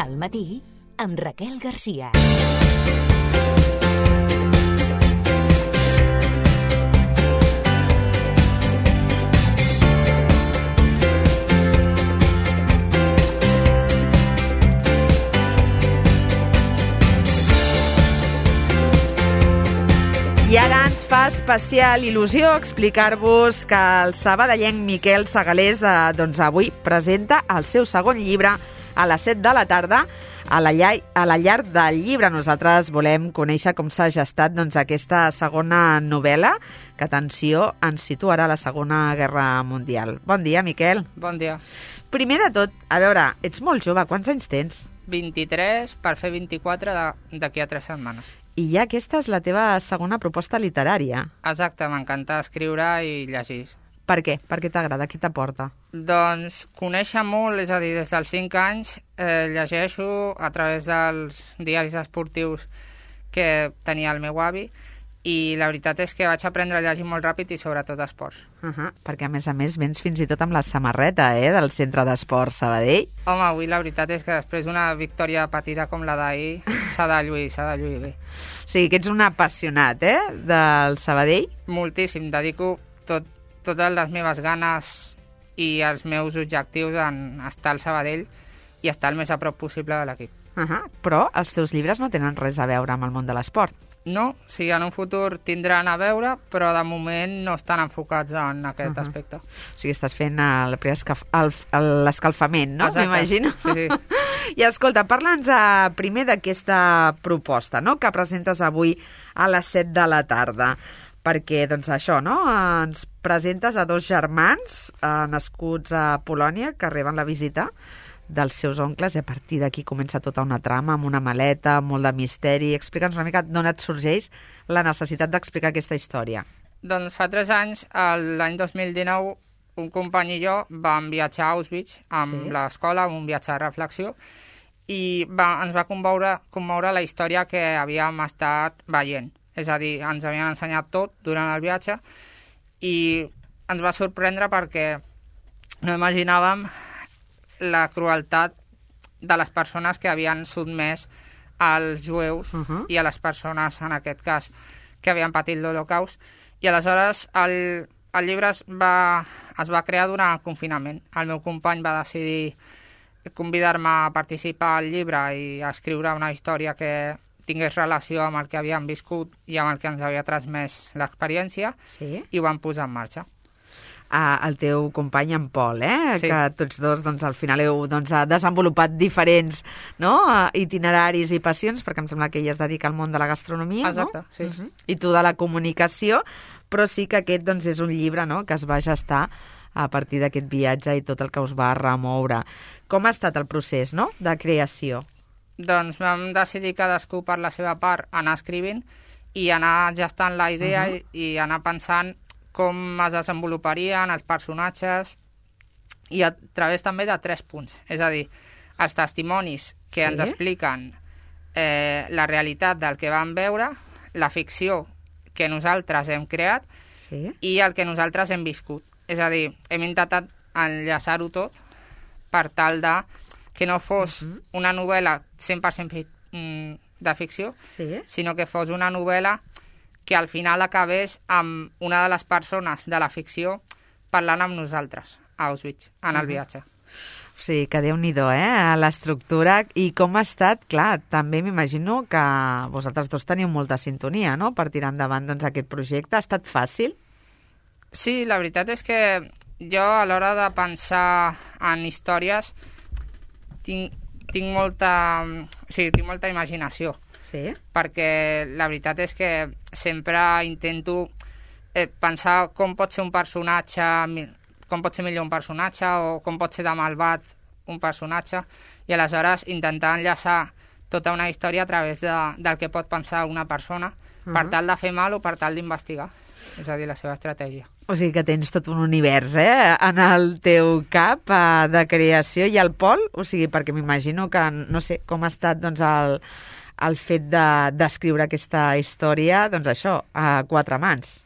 al matí amb Raquel Garcia. I ara ens fa especial il·lusió explicar-vos que el sabadellenc Miquel Segalés avui presenta el seu segon llibre a les 7 de la tarda a la llar del llibre. Nosaltres volem conèixer com s'ha gestat aquesta segona novel·la que, atenció, ens situarà a la Segona Guerra Mundial. Bon dia, Miquel. Bon dia. Primer de tot, a veure, ets molt jove, quants anys tens? 23 per fer 24 d'aquí a 3 setmanes. I ja aquesta és la teva segona proposta literària. Exacte, m'encanta escriure i llegir. Per què? Per què t'agrada? Què t'aporta? Doncs conèixer molt, és a dir, des dels 5 anys llegeixo a través dels diaris esportius que tenia el meu avi i la veritat és que vaig aprendre a llegir molt ràpid i sobretot esports. Perquè a més vens fins i tot amb la samarreta del Centre d'Esports Sabadell. Home, avui la veritat és que després d'una victòria patida com la d'ahir s'ha de lluir bé. O sigui que ets un apassionat, del Sabadell? Moltíssim, dedico totes les meves ganes i els meus objectius en estar al Sabadell i estar el més a prop possible de l'equip. Però els teus llibres no tenen res a veure amb el món de l'esport. No, sí, en un futur tindran a veure, però de moment no estan enfocats en aquest aspecte. O sigui, estàs fent l'escalfament, no? Exacte. M'imagino. Sí. I escolta, parla'ns primer d'aquesta proposta, no?, que presentes avui a les 7 de la tarda. Perquè, doncs això, no?, ens presentes a 2 germans nascuts a Polònia que reben la visita dels seus oncles i a partir d'aquí comença tota una trama amb una maleta, molt de misteri. Explica'ns una mica d'on et sorgeix la necessitat d'explicar aquesta història. Doncs fa 3 anys, l'any 2019, un company i jo vam viatjar a Auschwitz amb l'escola, un viatge de reflexió, i ens va commoure la història que havíem estat veient. És a dir, ens havien ensenyat tot durant el viatge i ens va sorprendre perquè no imaginàvem la crueltat de les persones que havien sotmès als jueus i a les persones, en aquest cas, que havien patit l'Holocaust. I aleshores el llibre es va crear durant el confinament. El meu company va decidir convidar-me a participar al llibre i a escriure una història que tingués relació amb el que havíem viscut i amb el que ens havia transmès l'experiència, i ho vam posar en marxa. El teu company, en Pol, Sí. que tots dos al final heu desenvolupat diferents itineraris i passions, perquè em sembla que ell es dedica al món de la gastronomia, Exacte, no? sí. I tu de la comunicació, però sí que aquest és un llibre que es va gestar a partir d'aquest viatge i tot el que us va remoure. Com ha estat el procés de creació? Doncs vam decidir cadascú per la seva part anar escrivint i anar gestant la idea i anar pensant com es desenvoluparien els personatges i a través també de 3 punts. És a dir, els testimonis que ens expliquen la realitat del que vam veure, la ficció que nosaltres hem creat i el que nosaltres hem viscut. És a dir, hem intentat enllaçar-ho tot per tal de que no fos una novel·la 100% de ficció, sinó que fos una novel·la que al final acabés amb una de les persones de la ficció parlant amb nosaltres a Auschwitz, en el viatge. O sigui, que Déu-n'hi-do, l'estructura. I com ha estat? Clar, també m'imagino que vosaltres dos teniu molta sintonia, no?, per tirar endavant aquest projecte. Ha estat fàcil? Sí, la veritat és que jo a l'hora de pensar en històries tinc molta imaginació. Perquè la veritat és que sempre intento pensar com pot ser un personatge, com pot ser millor un personatge o com pot ser de malvat un personatge, i aleshores intentar enllaçar tota una història a través del que pot pensar una persona per tal de fer mal o per tal d'investigar. És a dir, la seva estratègia. O sigui que tens tot un univers en el teu cap de creació. I el Pol, o sigui, perquè m'imagino que, no sé, com ha estat el fet d'escriure aquesta història, això, a 4 mans.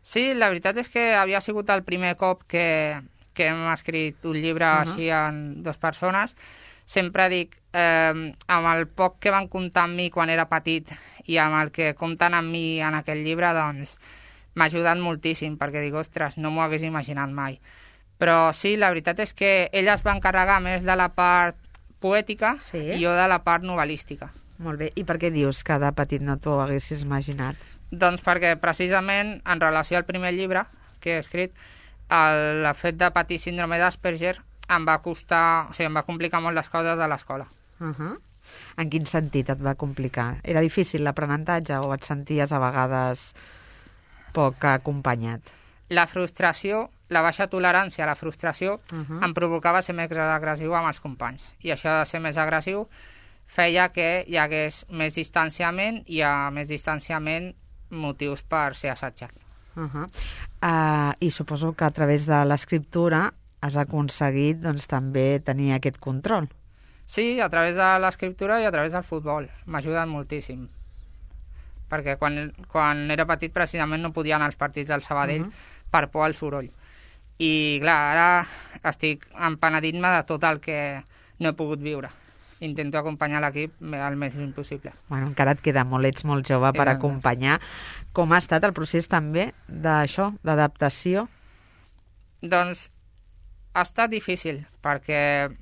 Sí, la veritat és que havia sigut el primer cop que hem escrit un llibre així en 2 persones. sempre dic, amb el poc que van comptar amb mi quan era petit i amb el que compten amb mi en aquest llibre, doncs m'ha ajudat moltíssim, perquè dic, ostres, no m'ho hagués imaginat mai. Però sí, la veritat és que ella es va encarregar més de la part poètica i jo de la part novel·lística. Molt bé. I per què dius que de petit no t'ho haguessis imaginat? Doncs perquè precisament en relació al primer llibre que he escrit, el fet de patir síndrome d'Asperger em va costar, o sigui, em va complicar molt les coses de l'escola. En quin sentit et va complicar? Era difícil l'aprenentatge o et senties a vegades poc acompanyat? La frustració, la baixa tolerància a la frustració em provocava ser més agressiu amb els companys. I això de ser més agressiu feia que hi hagués més distanciament i a més distanciament motius per ser assetjat. I suposo que a través de l'escriptura has aconseguit doncs, també tenir aquest control. Sí, a través de l'escriptura i a través del futbol. M'ha ajudat moltíssim. Perquè quan era petit precisament no podia anar als partits del Sabadell per por al soroll. I clar, ara estic empenedint-me de tot el que no he pogut viure. Intento acompanyar l'equip el més lluny possible. Bueno, encara et queda molt, ets molt jove per acompanyar. Com ha estat el procés també d'això, d'adaptació? Doncs ha estat difícil, perquè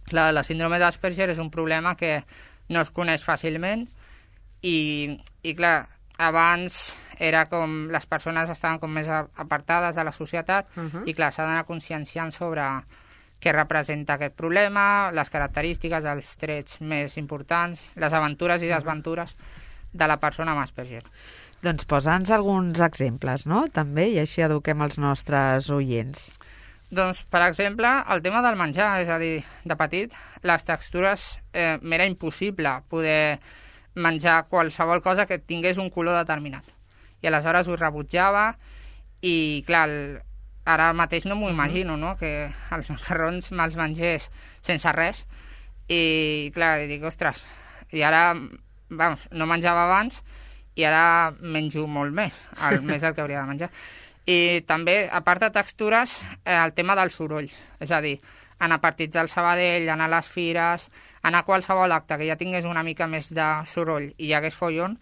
clar, la síndrome d'Asperger és un problema que no es coneix fàcilment i clar, abans era com les persones estaven com més apartades de la societat i clar, s'ha d'anar conscienciant sobre què representa aquest problema, les característiques, els trets més importants, les aventures i desventures de la persona amb Asperger. Doncs posa'ns alguns exemples, no? També, i així eduquem els nostres oients. Doncs, per exemple, el tema del menjar, és a dir, de petit, les textures m'era impossible poder menjar qualsevol cosa que tingués un color determinat. I aleshores ho rebutjava i, clar, ara mateix no m'ho imagino, no?, que els macarrons me'ls mengés sense res i, clar, dic, ostres, i ara, vamos, no menjava abans i ara menjo molt més, més del que hauria de menjar. I també, a part de textures, el tema dels sorolls, és a dir, anar a partits del Sabadell, anar a les fires, anar a qualsevol acte que ja tingués una mica més de soroll i hi hagués follon,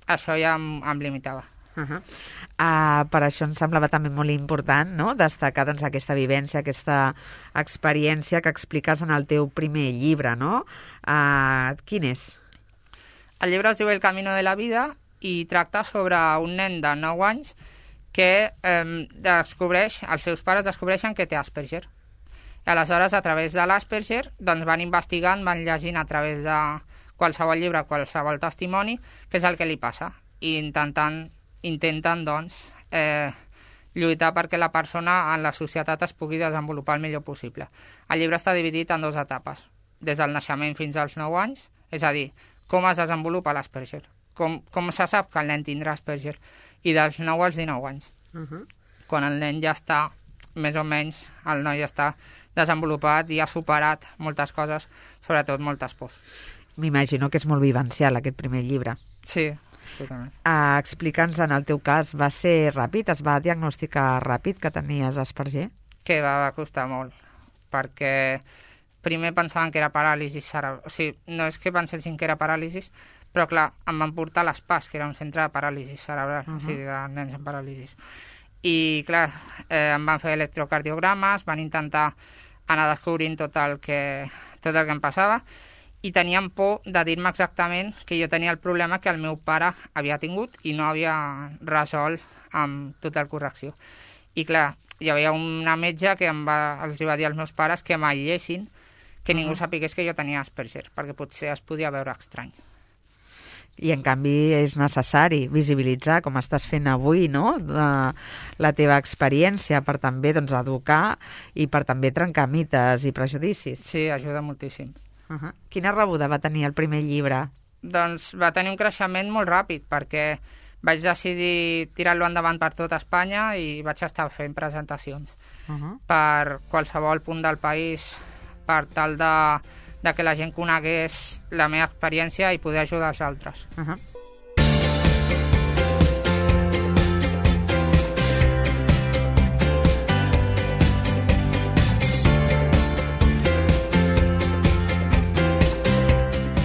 això ja em limitava. Per això em semblava també molt important, no?, destacar doncs, aquesta vivència, aquesta experiència que expliques en el teu primer llibre, no? Quin és? El llibre es diu El camino de la vida i tracta sobre un nen de 9 anys que descobreix, els seus pares descobreixen que té Asperger. I aleshores, a través de l'Asperger, doncs van investigant, van llegint a través de qualsevol llibre, qualsevol testimoni, què és el que li passa, i intenten doncs, lluitar perquè la persona en la societat es pugui desenvolupar el millor possible. El llibre està dividit en 2 etapes, des del naixement fins als 9 anys, és a dir, com es desenvolupa l'Asperger, com se sap que el nen tindrà Asperger, i dels 9 als 19 anys, quan el nen ja està, més o menys, el noi ja està desenvolupat i ha superat moltes coses, sobretot moltes pors. M'imagino que és molt vivencial aquest primer llibre. Sí, totalment. Explica'ns, en el teu cas, va ser ràpid? Es va diagnosticar ràpid que tenies Asperger? Que va costar molt, perquè primer pensaven que era paràlisi cerebral. O sigui, no és que pensessin que era paràlisi, però clar, em van portar a l'ESPAS, que era un centre de paràlisi cerebral, o sigui, de nens amb paràlisi. I clar, em van fer electrocardiogrames, van intentar anar descobrint tot el que em passava, i tenien por de dir-me exactament que jo tenia el problema que el meu pare havia tingut i no havia resolt amb total correcció. I clar, hi havia una metge que els va dir als meus pares que m'aïllessin, que ningú sapigués que jo tenia Asperger, perquè potser es podia veure estrany. I, en canvi, és necessari visibilitzar, com estàs fent avui, no?, la teva experiència per també doncs, educar i per també trencar mites i prejudicis. Sí, ajuda moltíssim. Quina rebuda va tenir el primer llibre? Doncs va tenir un creixement molt ràpid, perquè vaig decidir tirar-lo endavant per tot Espanya i vaig estar fent presentacions per qualsevol punt del país per tal de que la gent conegués la meva experiència i poder ajudar els altres.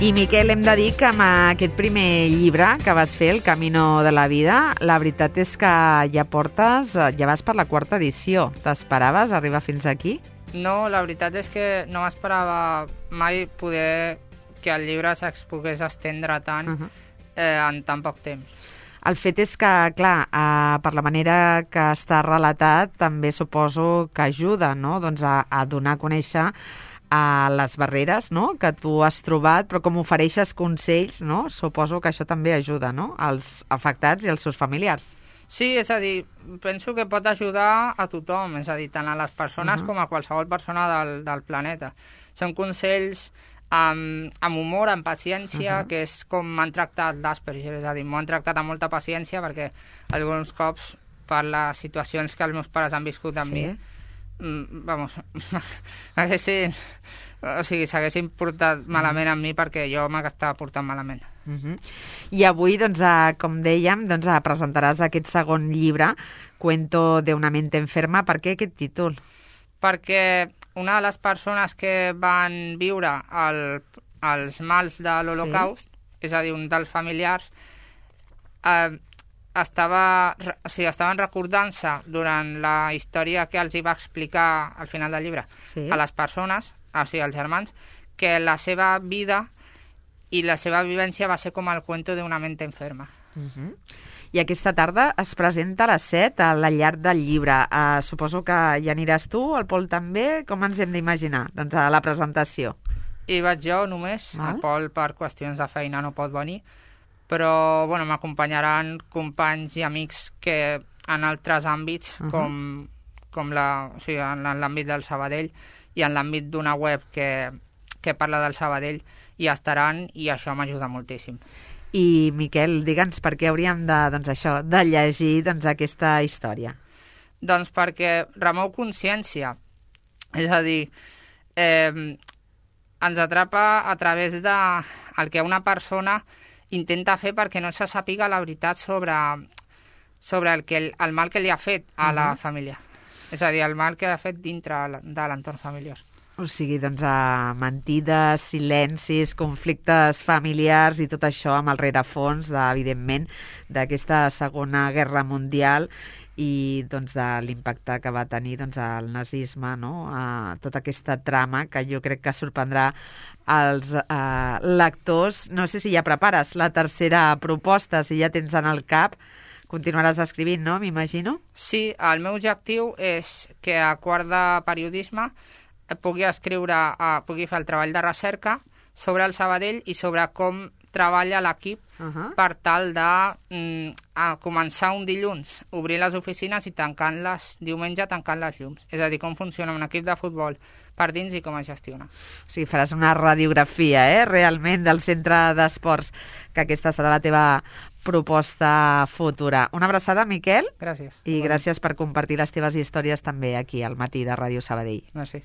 I, Miquel, hem de dir que amb aquest primer llibre que vas fer, El camino de la vida, la veritat és que ja vas per la 4ª edició. T'esperaves arribar fins aquí? No, la veritat és que no m'esperava mai poder que el llibre pogués estendre tant en tan poc temps. El fet és que, clar, per la manera que està relatat, també suposo que ajuda, no?, doncs a donar a conèixer a les barreres, no?, que tu has trobat, però com ofereixes consells, no?, suposo que això també ajuda, no?, als afectats i als seus familiars. Sí, és a dir, penso que pot ajudar a tothom, és a dir, tant a les persones com a qualsevol persona del planeta. Són consells amb humor, amb paciència, que és com m'han tractat l'Asperger, és a dir, m'ho han tractat amb molta paciència perquè alguns cops per les situacions que els meus pares han viscut amb mi, s'haguessin portat malament amb mi perquè jo m'estava portant malament. I avui, doncs, com dèiem, doncs, presentaràs aquest segon llibre, Cuento de una mente enferma. Per què aquest títol? Perquè una de les persones que van viure els mals de l'Holocaust, és a dir, un dels familiars, estaven recordant-se durant la història que els hi va explicar al final del llibre a les persones, o sigui, als germans, que la seva vida i la seva vivència va ser com el cuento de una mente enferma. I aquesta tarda es presenta a les 7 a la llar del llibre. Suposo que hi aniràs tu, el Pol també. Com ens hem d'imaginar, doncs, a la presentació? Hi vaig jo només, el Pol per qüestions de feina no pot venir, però bueno, m'acompanyaran companys i amics que en altres àmbits, com en l'àmbit del Sabadell i en l'àmbit d'una web que parla del Sabadell, hi estaran i això m'ajuda moltíssim. I, Miquel, digue'ns per què hauríem de llegir aquesta història. Doncs perquè remou consciència, és a dir, ens atrapa a través del que una persona intenta fer perquè no se sàpiga la veritat sobre el mal que li ha fet a la família. És a dir, el mal que ha fet dintre de l'entorn familiar. O sigui, doncs, mentides, silencis, conflictes familiars i tot això amb el rerefons, evidentment, d'aquesta Segona Guerra Mundial i doncs, de l'impacte que va tenir el nazisme, no? Tota aquesta trama que jo crec que sorprendrà els lectors. No sé si ja prepares la tercera proposta, si ja tens en el cap. Continuaràs escrivint, no?, m'imagino? Sí, el meu objectiu és que a quart de periodisme pugui fer el treball de recerca sobre el Sabadell i sobre com treballa l'equip per tal de començar un dilluns, obrir les oficines i tancant-les diumenge, tancant les llums. És a dir, com funciona un equip de futbol per dins i com es gestiona. O sigui, faràs una radiografia, realment, del centre d'esports, que aquesta serà la teva proposta futura. Una abraçada, Miquel. Gràcies. I gràcies per compartir les teves històries també aquí al Matí de Ràdio Sabadell. Gràcies.